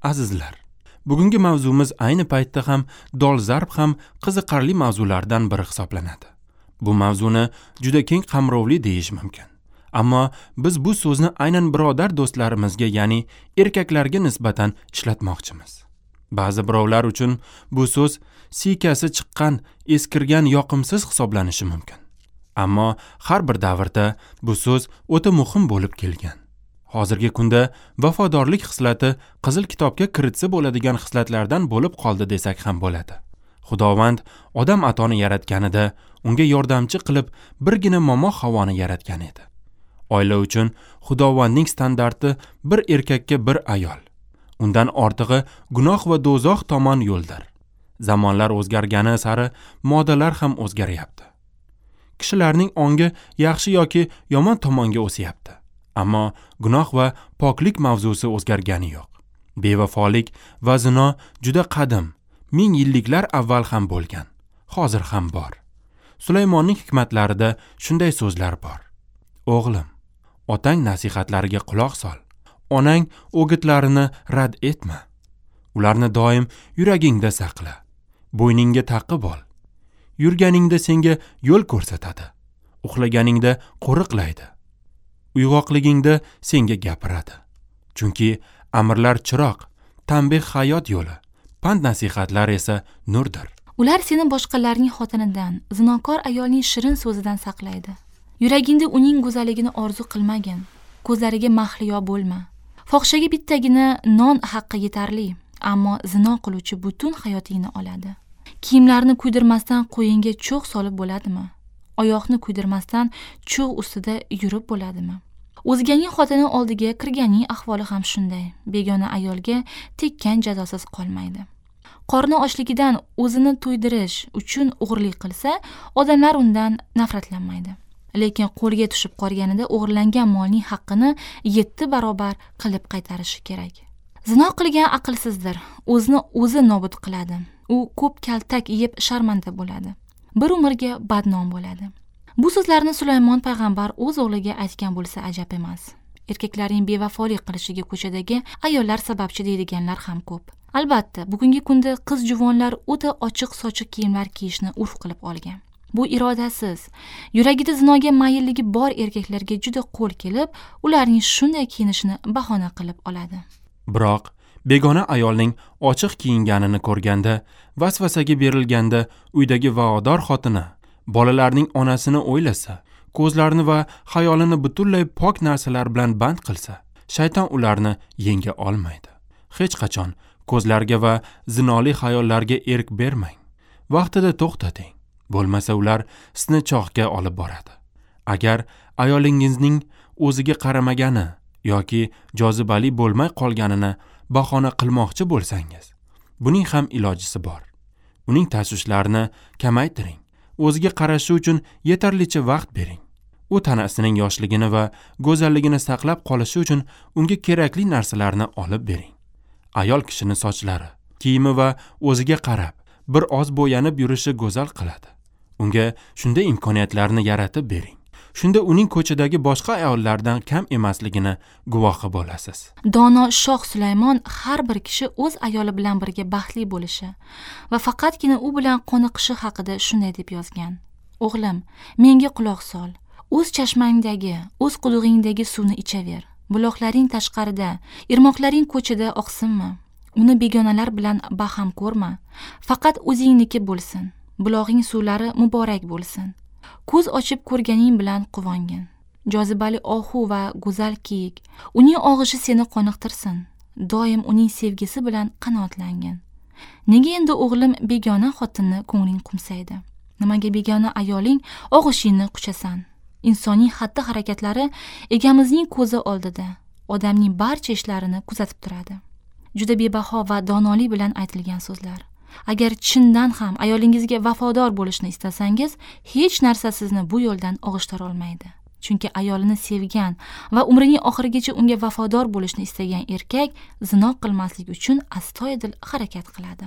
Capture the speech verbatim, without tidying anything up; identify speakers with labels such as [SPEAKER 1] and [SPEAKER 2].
[SPEAKER 1] Azizlar, bugungi mavzumiz ayni paytda ham dolzarb ham qiziqarli mavzulardan biri hisoblanadi. Bu mavzuni juda keng qamrovli deyish mumkin. Ammo biz bu so'zni aynan birodar do'stlarimizga, ya'ni erkaklarga nisbatan ishlatmoqchimiz. Ba'zi birovlar uchun bu so'z siykasi chiqqan, eskirgan, yoqimsiz hisoblanishi mumkin. Ammo har bir davrda bu so'z o'ta muhim bo'lib kelgan. Hozirgi kunda vafodorlik xislati qizil kitobga kiritsa bo'ladigan xislatlardan bo'lib qoldi desak ham bo'ladi. Xudovand odam atoni yaratganida unga yordamchi qilib birgina momo Havoni yaratgan edi. Oila uchun Xudovandning standarti bir erkakka bir ayol. Undan ortig'i gunoh va do'zax tomon yo'ldir. Zamonlar o'zgargani sari modalar ham o'zgaryapti. Kishilarning ongi yaxshi yoki yomon tomonga o'syapti. Ammo gunoh va poklik mavzusi o'zgargani yo'q. Bevafolik va zino juda qadim, ming yilliklar avval ham bo'lgan, hozir ham bor. Sulaymonning hikmatlarida shunday so'zlar bor. O'g'lim, otang nasihatlariga quloq sol, onang o'gitlarini rad etma. Ularni doim yuragingda saqla, bo'yningga taqib ol. Yurganingda senga yo'l ko'rsatadi, uxlaganingda qo'riqlaydi. Uyg'oqligingda senga gapiradi. Chunki amrlar chiroq, tanbeh hayot yo'li, pand nasihatlar esa nurdir.
[SPEAKER 2] Ular seni boshqalarning xotinidan, zinokor ayolning shirin so'zidan saqlaydi. Yuragingda uning go'zalligini orzu qilmagin, ko'zlariga mahliyo bo'lma. Fohishaga bittagina non haqqi yetarli, ammo zino qiluvchi butun hayotingni oladi. Kiyimlarni kuydirmasdan qo'yinga cho'g' solib bo'ladimi? Oyoqni kuydirmasdan cho'g' ustida yurib bo'ladimi? O'zganing xotini oldiga kirganning ahvoli ham shunday. Begona ayolga tekkan jazosiz qolmaydi. Qorni ochligidan o'zini to'ydirish uchun o'g'irlik qilsa, odamlar undan nafratlanmaydi. Lekin qo'lga tushib qolganida o'g'irlangan molning haqqini yetti barobar qilib qaytarishi kerak. Zino qilgan aqlsizdir, o'zini o'zi nobud qiladi. U ko'p kaltak yeb sharmanda bo'ladi. Bir umrga badnom bo'ladi. Bu so'zlarni Sulaymon payg'ambar o'z o'g'liga aytgan bo'lsa ajab emas. Erkaklarning bevafolik qilishiga ko'chadagi ayollar sababchi deydiganlar ham ko'p. Albatta, bugungi kunda qiz juvonlar o'ta ochiq-sochiq kiyimlar kiyishni urf qilib olgan. Bu irodasiz, yuragida zinoga maylligi bor erkaklarga juda qo'l kelib, ularning shunday kiyinishini bahona qilib oladi.
[SPEAKER 1] Biroq begona ayolning ochiq kiyinganini ko'rganda, vasvasaga berilganda uydagi va'dor xotini, bolalarning onasini o'ylasa, ko'zlarini va xayolini butunlay pok narsalar bilan band qilsa, shayton ularni yenga olmaydi. Hech qachon ko'zlarga va zinoli xayollarga erk bermang. Vaqtida to'xtating. Bo'lmasa ular sizni choqqa olib boradi. Agar ayolingizning o'ziga qaramagani yoki jozibali bo'lmay qolganini bahona qilmoqchi bo'lsangiz, buning ham ilojisi bor. Uning tashvishlarini kamaytiring. O'ziga qarashi uchun yetarlicha vaqt bering. U tanasining yoshligini va go'zalligini saqlab qolishi uchun unga kerakli narsalarni olib bering. Ayol kishini sochlari, kiyimi va o'ziga qarab bir oz bo'yanib yurishi go'zal qiladi. Unga shunday imkoniyatlarni yaratib bering. Shunda uning ko'chadagi boshqa ayollardan kam emasligini guvohi bo'lasiz.
[SPEAKER 2] Dono shoh Sulaymon har bir kishi o'z ayoli bilan birga baxtli bo'lishi va faqatgina u bilan qoniqishi haqida shunday deb yozgan. O'g'lim, menga quloq sol. O'z chashmangdagi, o'z qudug'ingdagi suvni ichaver. Buloqlaring tashqarida, irmoqlaring ko'chada oqsinmi? Uni begonalar bilan baham ko'rma. Faqat o'zingniki bo'lsin. Bulog'ing suvlari muborak bo'lsin. Ko'z ochib ko'rganing bilan quvongin. Jozibali ohu va go'zal kiyik, uning og'ishi seni qoniqtirsin. Doim uning sevgisi bilan qanoatlangin. Nega endi o'g'lim begona xotinni ko'ngling qumsaydi? Nimaga begona ayoling og'ishingni quchasan? Insonning xatti-harakatlari egamizning ko'zi oldida, odamning barcha ishlarini kuzatib turadi. Juda bebaho va donolik bilan aytilgan so'zlar. Agar chindan ham ayolingizga vafodor bo'lishni istasangiz, hech narsa sizni bu yo'ldan og'ishtira olmaydi. Chunki ayolini sevgan va umrining oxirigacha unga vafodor bo'lishni istagan erkak zino qilmaslik uchun astoydil harakat qiladi.